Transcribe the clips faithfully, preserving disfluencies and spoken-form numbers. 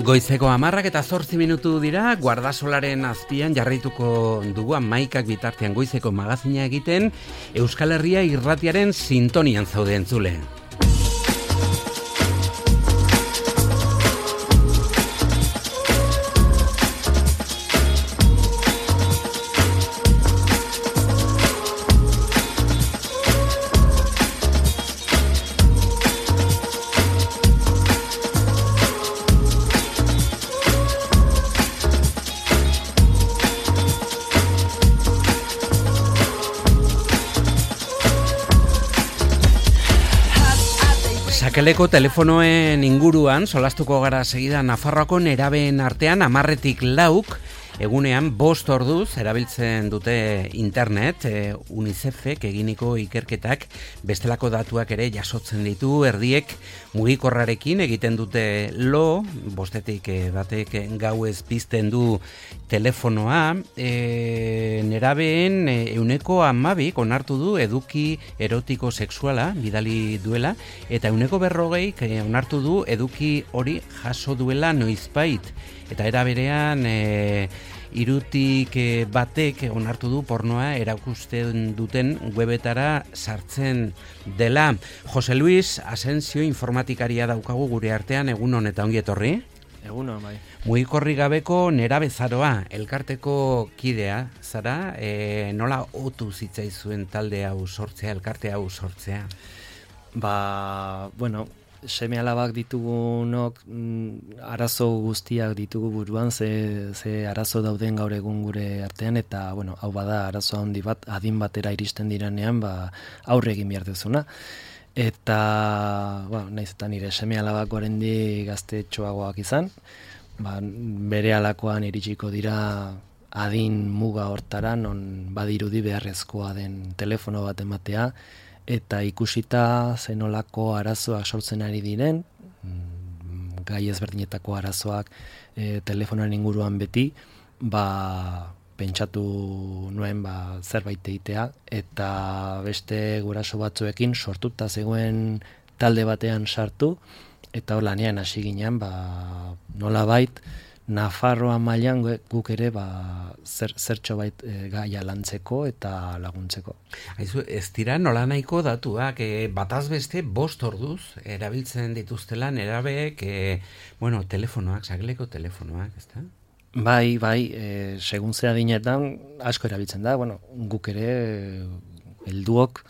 Goizeko hamarrak eta zortzi minutu dira, Guardasolaren azpian jarraituko dugu hamaikak bitartean goizeko magazina egiten, Euskal Herria irratiaren sintonian zaude entzule. Sakeleko telefonoen inguruan solastuko gara segida Nafarroako nerabeen artean hamarretik lauk egunean bost orduz erabiltzen dute internet. e, UNICEFek eginiko ikerketak bestelako datuak ere jasotzen ditu, erdiek mugikorrarekin egiten dute lo, bostetik e, batek gauez pizten du telefonoa. e, nerabeen e, euneko hamabik onartu du eduki erotiko sexuala bidali duela, eta euneko berrogeik e, onartu du eduki hori jaso duela noizbait, eta era berean e, irutik e, batek onartu du pornoa erakusten duten webetara sartzen dela. Jose Luis Asensio informatikaria daukagu gure artean, egun honetan ongi etorri. Egun hon, bai. Mugikorri gabeko nerabezaroa, elkarteko kidea zara, e, nola otu zitzaizuen talde hau sortzea, elkarte hau sortzea? Ba, bueno, seme alabak ditugunok mm, arazo guztiak ditugu buruan, ze, ze arazo dauden gaur egun gure artean, eta bueno, hau bada arazo handi bat, adin batera iristen diranean, ba, aurre egin behar duzuna. Eta, ba, nahiz eta nire seme alabak oraindik gaztetxoagoak izan, ba, bere alakoan iritsiko dira adin muga hortara, non badirudi beharrezkoa den telefono bat ematea, eta ikusita zenolako arazoak sortzen ari diren, gai ezberdinetako arazoak e, telefonoan inguruan beti, ba, pentsatu nuen ba, zerbait egitea, eta beste guraso batzuekin sortuta zegoen talde batean sartu, eta hor lanean hasi ginen, ba, nolabait, Nafarroa mailan guk ere ba, zer, zertxo bait e, gaia lantzeko eta laguntzeko. Aizu, ez dira nola nahiko datuak, e, bataz beste bost orduz erabiltzen dituztela nerabeek, e, bueno, telefonoak, sakeleko telefonoak, ez da? Bai, bai, e, segun zea dinetan asko erabiltzen da, bueno, guk ere helduok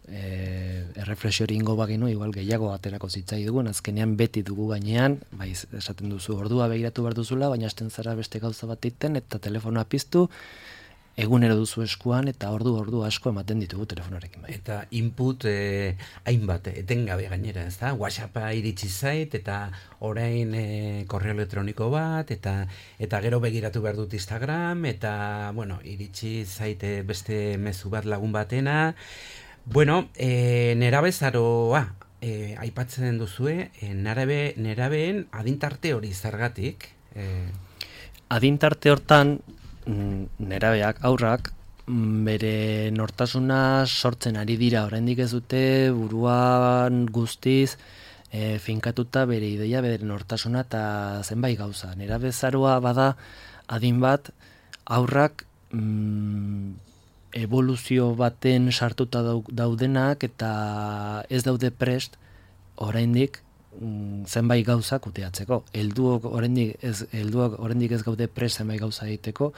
E, erreflexiori ingo bagenu, igual gehiago aterako zitzai dugun, azkenean beti dugu gainean, bai, esaten duzu ordua begiratu behar duzula, baina hasten zara beste gauza bat iten, eta telefonoa piztu, egunero duzu eskuan, eta ordu ordu asko ematen ditugu telefonoarekin. Bai. Eta input eh, hainbat, etengabe gainera, ez da? WhatsAppa iritsi zait, eta orain eh, korreo elektroniko bat, eta eta gero begiratu behar dut Instagram, eta, bueno, iritsi zait beste mezu bat lagun batena. Bueno, e, nerabezaroa, e, aipatzen duzue, e, nerabe, nerabeen adintarte hori zergatik? E... Adintarte hortan, nerabeak, aurrak, bere nortasuna sortzen ari dira, oraindik ez dute buruan guztiz e, finkatuta bere ideia, bere nortasuna eta zenbait gauza. Nerabezaroa bada adin bat, aurrak mm, evoluzio baten sartuta daudenak eta ez daude prest oraindik mm, zenbait gauza kudeatzeko. Helduok oraindik ez helduok oraindik ez gaude prest zenbait gauza egiteko,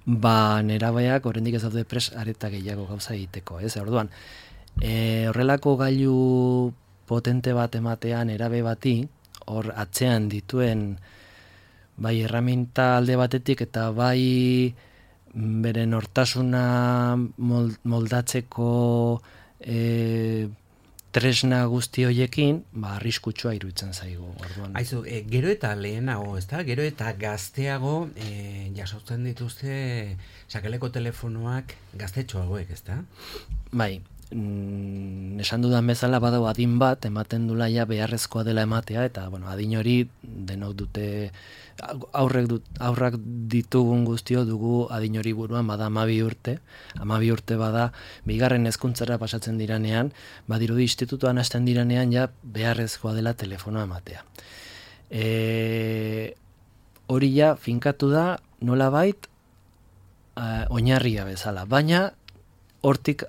ba nerabeak oraindik ez daude prest areta gehiago gauza egiteko, ez? Orduan, e, horrelako gailu potente bat ematean nerabe bati, hor atzean dituen bai erraminta alde batetik eta bai bere nortasuna moldatzeko e, tresna guzti hoiekin, ba, arriskutsua iruditzen zaigu. Orduan. Aizu, e, gero eta lehenago, ez da? Gero eta gazteago e, jasotzen dituzte sakeleko telefonoak gaztetxoagoek, ez da? Bai, mm, esan dudan bezala badau adin bat, ematen dula ja beharrezkoa dela ematea, eta bueno, adin hori denok dute, aurrek dut, aurrak ditugun guztio dugu adin hori buruan bada hamabi urte, hamabi urte bada bigarren hezkuntzara pasatzen diranean, badirudi institutuan hasten diranean ja beharrezkoa dela telefonoa ematea. E, hori ja finkatu da nolabait uh, oinarria bezala, baina hortik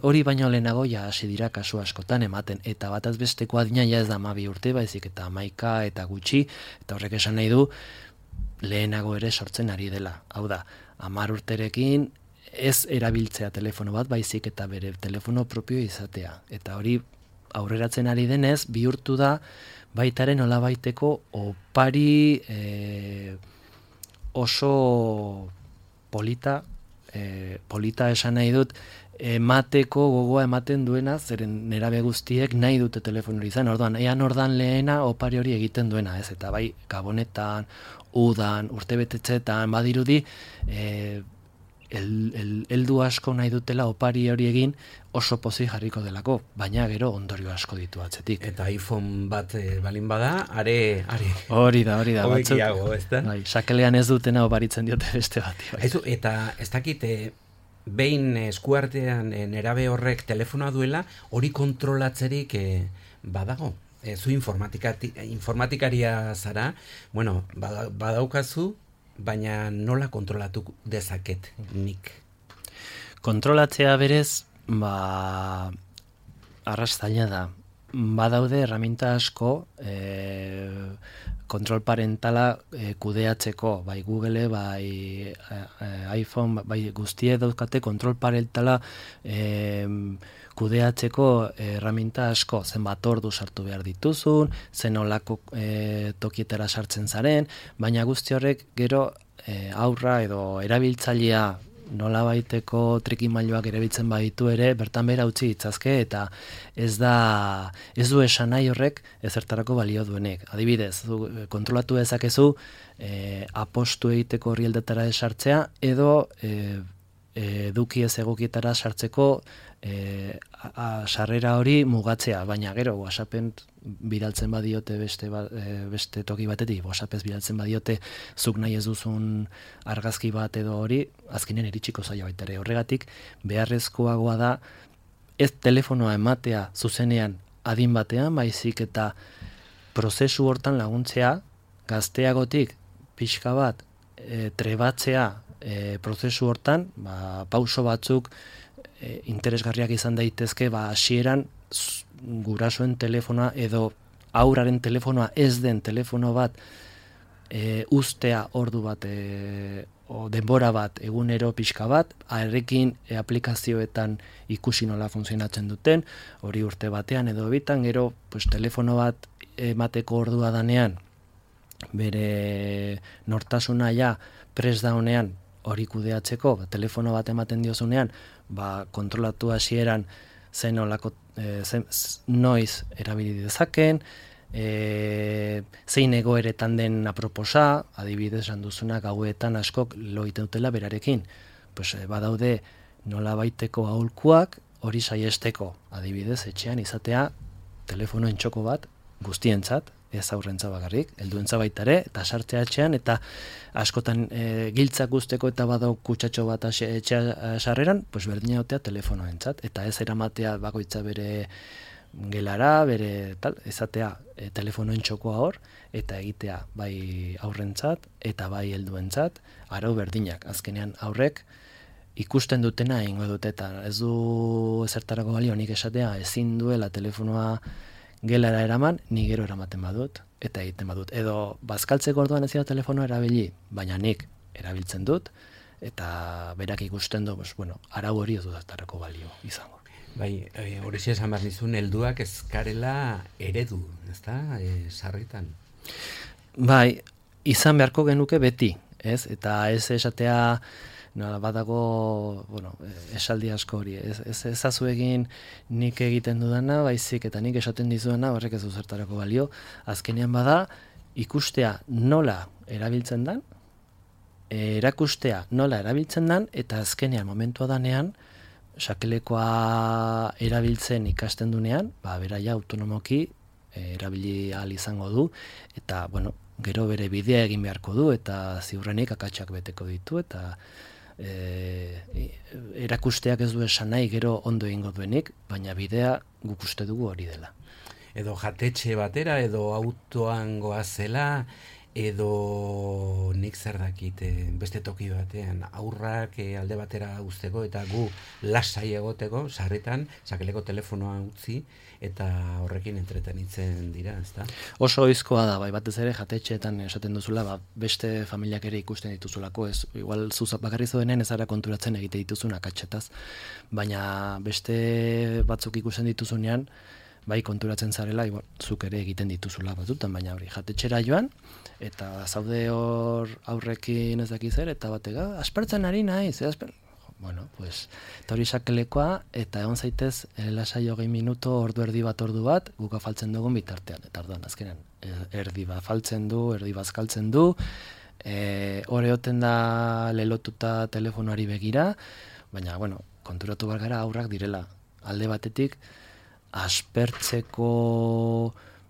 hori baino lehenago ja hasi dira kasu askotan ematen, eta bataz besteko adina ja ez da hamabi urte, baizik eta hamaika eta gutxi, eta horrek esan nahi du lehenago ere sortzen ari dela. Hau da, hamar urterekin ez erabiltzea telefono bat, baizik eta bere telefono propio izatea. Eta hori aurreratzen ari denez, bihurtu da baitaren nolabaiteko opari e, oso polita, e, polita esan nahi dut, emateko gogoa ematen duena, zeren nerabe guztiek nahi dute telefono izan, orduan, ean ordan lehena opari hori egiten duena, ez, eta bai, gabonetan, udan, urtebetetzetan, badirudi, e, el, el, eldu asko nahi dutela opari hori egin oso pozik jarriko delako, baina gero ondorio asko ditu atzetik. Eta iPhone bat e, balin bada, are... are. Hori da, hori da. Hobekiago, ez da? Bai, sakelean ez dutena oparitzen diote beste bati. Bai. Aizu, eta ez dakit, behin eskuartean e, nerabe horrek telefonoa duela, hori kontrolatzerik e, badago. E, zu informatikaria zara, bueno, badaukazu, baina nola kontrolatu dezaket nik? Kontrolatzea berez, ba, arrastaila da. Badaude erraminta asko e, kontrol parentala e, kudeatzeko, bai Google, bai e, iPhone, bai guztie dauzkate kontrol parentala e, kudeatzeko erraminta asko, zenbat ordu sartu behar dituzun, zen olako e, tokietara sartzen zaren, baina guzti horrek gero e, aurra edo erabiltzailea nolabaiteko trikimailuak erabiltzen baditu ere, bertan bera utzi ditzazke, eta ez da, ez du esan nahi horrek ezertarako balio duenek. Adibidez, du, kontrolatu dezakezu e, apostu egiteko horrieldetara sartzea, edo e, eduki ez egokietara sartzeko e, a, a, sarrera hori mugatzea, baina gero WhatsAppen bidaltzen badiote beste, ba, e, beste toki batetik, WhatsAppez bidaltzen badiote zuk nahi ez duzun argazki bat edo hori, azkenen iritsiko zaio baita ere. Horregatik beharrezkoagoa da ez telefonoa ematea zuzenean adin batean, baizik eta prozesu hortan laguntzea gazteagotik pixka bat e, trebatzea e, prozesu hortan, ba, pauso batzuk e, interesgarriak izan daitezke, ba, hasieran gurasoen telefonoa edo aurraren telefonoa ez den telefono bat e, ustea ordu bat e, o denbora bat egunero pixka bat, arekin e, aplikazioetan ikusi nola funtzionatzen duten, hori urte batean edo bitan, gero pues, telefono bat emateko ordua danean, bere nortasuna ja pres daunean hori kudeatzeko, ba, telefono bat ematen diozunean, ba, kontrolatu hasieran zen olako, e, zen, noiz erabili dezaken, e, zein egoeretan den aproposa, adibidez esan duzuna gauetan askok lo egiten dutela berarekin. Pues, e, badaude nola baiteko aholkuak hori saiesteko, adibidez etxean izatea telefono entxoko bat guztientzat, ez aurrentza bakarrik, helduentza baita ere, eta sartzea etxean, eta askotan e, giltzak guzteko eta badau kutsatxo bat etxea sarreran, pues berdina otea telefonoentzat, eta ez eramatea bakoitza bere gelara, bere tal, ezatea e, telefonoen txokoa hor, eta egitea bai aurrentzat, eta bai helduentzat, arau berdinak, azkenean aurrek, ikusten dutena egingo dute, eta ez du ezertarako balio nik esatea, ezin duela telefonoa gelara eraman, ni gero eramaten badut, eta egiten badut. Edo, bazkaltzeko orduan ez dira telefonoa erabili, baina nik erabiltzen dut, eta berak ikusten du, pues, bueno, arau hori ez dudatarako balio izango. Bai, hori e, esan behar nizun, helduak ezkarela eredu, ezta, e, sarritan? Bai, izan beharko genuke beti, ez? Eta ez esatea, no, badago, bueno, esaldi asko hori, ez, ez ezazu egin nik egiten dudana, baizik eta nik esaten dizuena, horrek ez du zertarako balio, azkenean bada, ikustea nola erabiltzen dan, erakustea nola erabiltzen dan, eta azkenean momentua danean, sakelekoa erabiltzen ikasten dunean, ba, beraia autonomoki e, erabili ahal izango du, eta, bueno, gero bere bidea egin beharko du, eta ziurrenik akatsak beteko ditu, eta e, erakusteak ez du esan nahi gero ondo egingo duenik, baina bidea guk uste dugu hori dela. Edo jatetxe batera, edo autoan goazela, edo nik zer dakit beste toki batean aurrak alde batera uzteko eta gu lasai egoteko sarritan sakeleko telefonoa utzi eta horrekin entretenitzen dira, ezta? Oso ohizkoa da, bai, batez ere jatetxeetan esaten duzula, ba, beste familiak ere ikusten dituzulako, ez igual zuzap bakarri zoenen ez ara konturatzen egite dituzun akatsetaz, baina beste batzuk ikusten dituzunean bai konturatzen zarela, igual, zuk ere egiten dituzula batzutan, baina hori jatetxera joan, eta zaude hor aurrekin ez dakiz ere, eta batega, aspertzen ari naiz, eh, asper... Bueno, pues, eta hori sakelekoa, eta egon zaitez, lasai hogei minuto, ordu erdi bat, ordu bat, guk afaltzen dugun bitartean, eta orduan, azkenan, erdi bat faltzen du, erdi bazkaltzen du, e, hori oten da lelotuta telefonoari begira, baina, bueno, konturatu behar gara aurrak direla, alde batetik, aspertzeko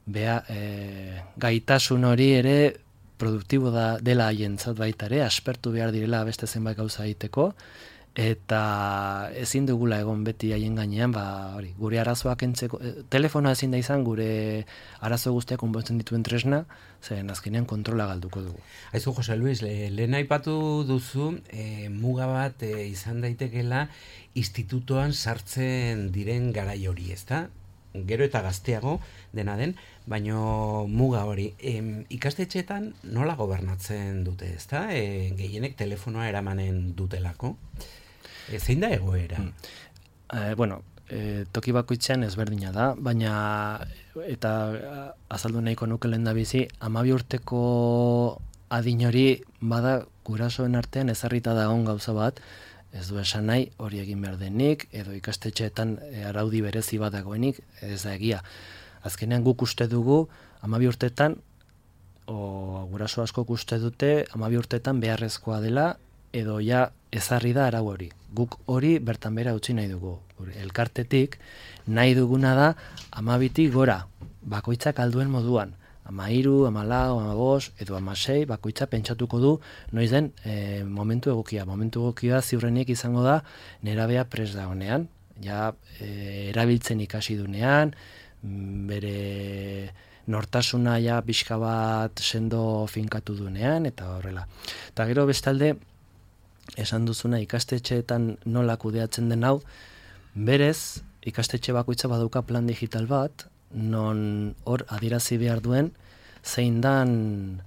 bea, e, gaitasun hori ere produktibo da dela haientzat baita ere, aspertu behar direla beste zenbait gauza egiteko, eta ezin dugula egon beti haien gainean, ba, hori, gure arazoak entzeko, e, telefonoa ezin da izan gure arazo guztiak konpontzen dituen tresna, zeren azkenean kontrola galduko dugu. Aizu, Jose Luis, le, lehen aipatu duzu, e, muga bat e, izan daitekela institutoan sartzen diren garai hori, ezta? Gero eta gazteago dena den, baino muga hori. E, ikastetxeetan nola gobernatzen dute, ezta? E, gehienek telefonoa eramanen dutelako. E, zein da egoera? Mm. Eh, bueno, e, toki bakoitzean ezberdina da, baina eta azaldu nahiko nuke lehendabizi, hamabi urteko adin hori bada gurasoen artean ezarrita dagoen gauza bat, ez du esan nahi hori egin behar denik, edo ikastetxeetan araudi berezi bat dagoenik, ez da egia. Azkenean guk uste dugu, hamabi urtetan, o guraso askok uste dute, hamabi urtetan beharrezkoa dela, edo ja ezarri da arau hori. Guk hori bertan bera utzi nahi dugu. Elkartetik nahi duguna da hamabitik gora, bakoitzak alduen moduan. Amairu, amalau, amabos, edo amasei, bakoitza pentsatuko du, noiz den e, momentu egokia. Momentu egokia ziurrenik izango da nerabea pres da honean, ja e, erabiltzen ikasi dunean, bere nortasuna ja pixka bat sendo finkatu dunean, eta horrela. Eta gero bestalde, esan duzuna ikastetxeetan nola kudeatzen den hau, berez ikastetxe bakoitza baduka plan digital bat, non hor adierazi behar duen zein dan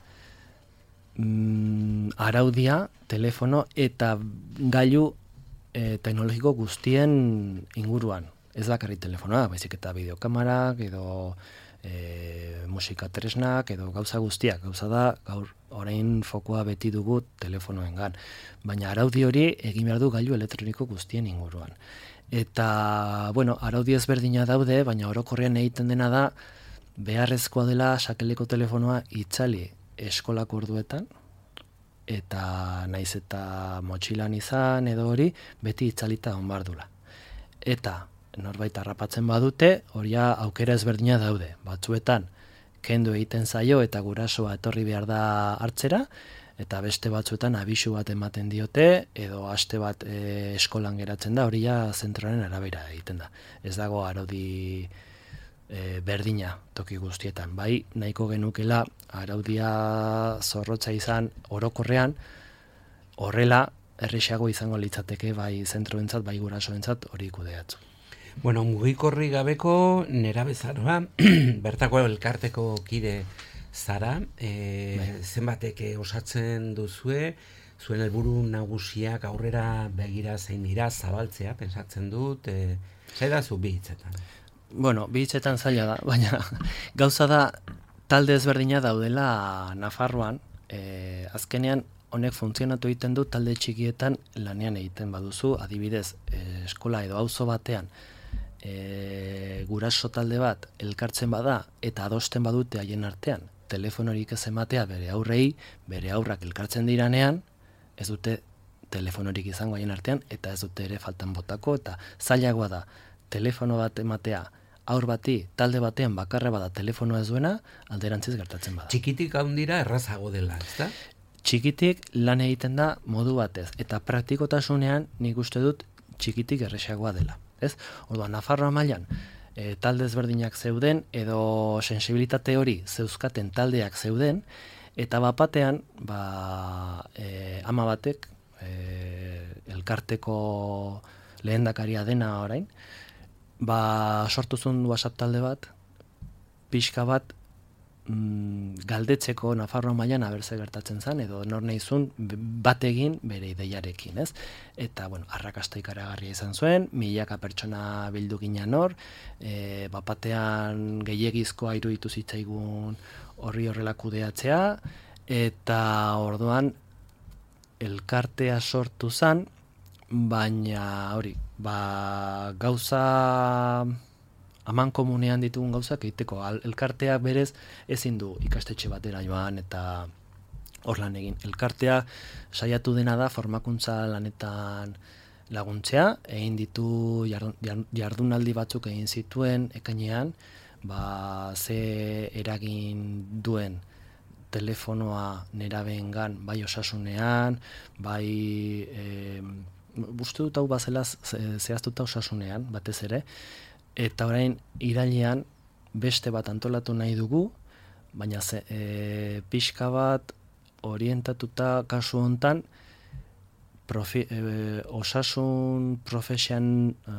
mm, araudia, telefono eta gailu e, teknologiko guztien inguruan. Ez bakarrik telefonoa, baizik eta bideokamarak, edo e, musika tresnak, edo gauza guztiak. Gauza da, gaur orain fokoa beti dugu telefonoengan. Baina araudi hori egin behar du gailu elektroniko guztien inguruan. Eta, bueno, araudi ezberdina daude, baina orokorrean egiten dena da, beharrezkoa dela sakeleko telefonoa itzali eskolako orduetan, eta naiz eta motxilan izan edo hori, beti itzalita onbardula. Eta, norbait harrapatzen badute, horia aukera ezberdina daude. Batzuetan, kendu egiten zaio eta gurasoa etorri behar da hartzera, eta beste batzuetan abisu bat ematen diote, edo aste bat e, eskolan geratzen da, hori ja zentroaren arabera egiten da. Ez dago araudi e, berdina toki guztietan. Bai, nahiko genukela araudia zorrotza izan orokorrean, horrela errexago izango litzateke bai zentroentzat, bai gurasoentzat hori kudeatzu. Bueno, mugikorri gabeko nerabezaroa, bertako elkarteko kide zara, e, zenbatek osatzen duzue, zuen helburu nagusiak aurrera begira zein dira zabaltzea, pensatzen dut, e, zaila zu bi hitzetan? Bueno, bi hitzetan zaila da, baina gauza da talde ezberdina daudela Nafarroan, e, azkenean honek funtzionatu egiten du talde txikietan lanean egiten baduzu, adibidez, e, eskola edo auzo batean, e, guraso talde bat elkartzen bada eta adosten badute haien artean, telefonorik ez ematea bere aurrei, bere aurrak elkartzen diranean, ez dute telefonorik izango haien artean, eta ez dute ere faltan botako, eta zailagoa da, telefono bat ematea, aur bati, talde batean bakarra bada telefonoa ez duena, alderantziz gertatzen bada. Txikitik handira errazago dela, ezta? Txikitik lan egiten da modu batez, eta praktikotasunean nik uste dut txikitik erresagoa dela. Ez? Orduan, Nafarroa mailan, e, talde ezberdinak zeuden, edo sensibilitate hori zeuzkaten taldeak zeuden, eta bapatean, ba, e, ama batek, e, elkarteko lehendakaria dena orain, ba, sortu zuen WhatsApp talde bat, pixka bat, mm, galdetzeko Nafarroa mailan abertze gertatzen zen, edo nor nahizun bat egin bere ideiarekin, ez? Eta, bueno, arrakasta ikaragarria izan zuen, milaka pertsona bildu ginen hor, e, bapatean gehiegizkoa iruditu zitzaigun horri horrela kudeatzea, eta orduan elkartea sortu zen, baina hori, ba, gauza aman komunean ditugun gauzak egiteko. Elkartea berez ezin du ikastetxe batera joan eta hor lan egin. Elkartea saiatu dena da formakuntza lanetan laguntzea, egin ditu jardunaldi batzuk egin zituen ekainean, ba, ze eragin duen telefonoa nerabeengan, bai osasunean, bai e, uste dut hau bazela zehaztuta osasunean, batez ere, eta orain irailean beste bat antolatu nahi dugu, baina ze, e, pixka bat orientatuta kasu hontan profi, e, osasun profesion e,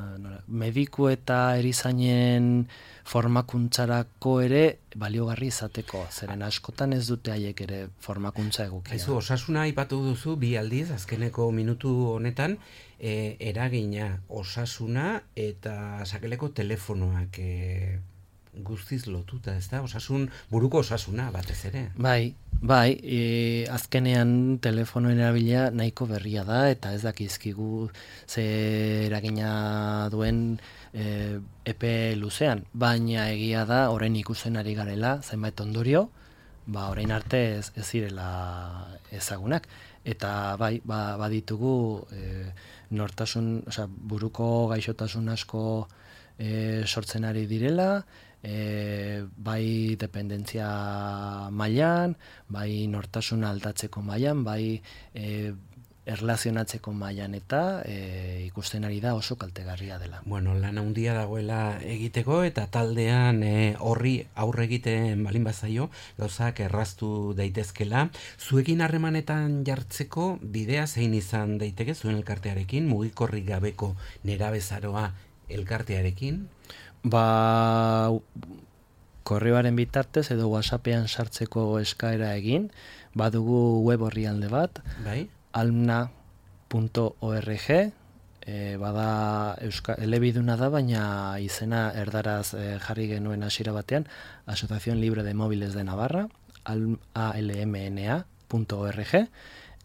mediku eta erizainen formakuntzarako ere baliogarri izateko, zeren askotan ez dute haiek ere formakuntza egokia. Aizu, osasuna aipatu duzu bi aldiz, azkeneko minutu honetan, e, eragina osasuna eta sakeleko telefonoak e, guztiz lotuta, ez da? Osasun, buruko osasuna batez ere. Bai, bai, e, azkenean telefonoen erabilia nahiko berria da, eta ez dakizkigu ze eragina duen e, epe luzean, baina egia da, orain ikusten ari garela, zenbait ondorio, ba, orain arte ez, ez zirela ezagunak. Eta bai, ba, baditugu e, nortasun, osea, buruko gaixotasun asko e, sortzen ari direla, e, bai dependentzia mailan, bai nortasuna aldatzeko mailan, bai e, erlazionatzeko mailan eta e, ikusten ari da oso kaltegarria dela. Bueno, lan handia dagoela egiteko eta taldean e, horri aurre egiten balin bazaio, gauzak erraztu daitezkela. Zuekin harremanetan jartzeko bidea zein izan daiteke zuen elkartearekin, mugikorrik gabeko nerabezaroa elkartearekin? Ba, korreoaren bitartez edo WhatsAppean sartzeko eskaera egin, badugu web orrialde bat, bai? almna punto org, e, bada euska, elebiduna da, baina izena erdaraz e, jarri genuen hasiera batean, Asociación Libre de Móviles de Navarra, almna punto org,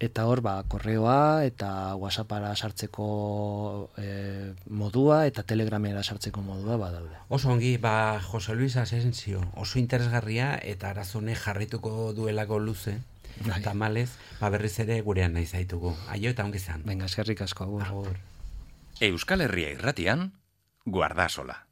eta hor, ba, korreoa eta WhatsAppara sartzeko e, modua eta Telegramera sartzeko modua badaude. Oso ongi, ba, Jose Luis Asensio, oso interesgarria eta arazone jarrituko duelako luze. Bai. Tamalez, ba berriz ere gurean nahi zaitugu. Aio eta ongi zan. Venga, eskerrik asko, agur. Agur. Euskal Herria irratian, Guardasola.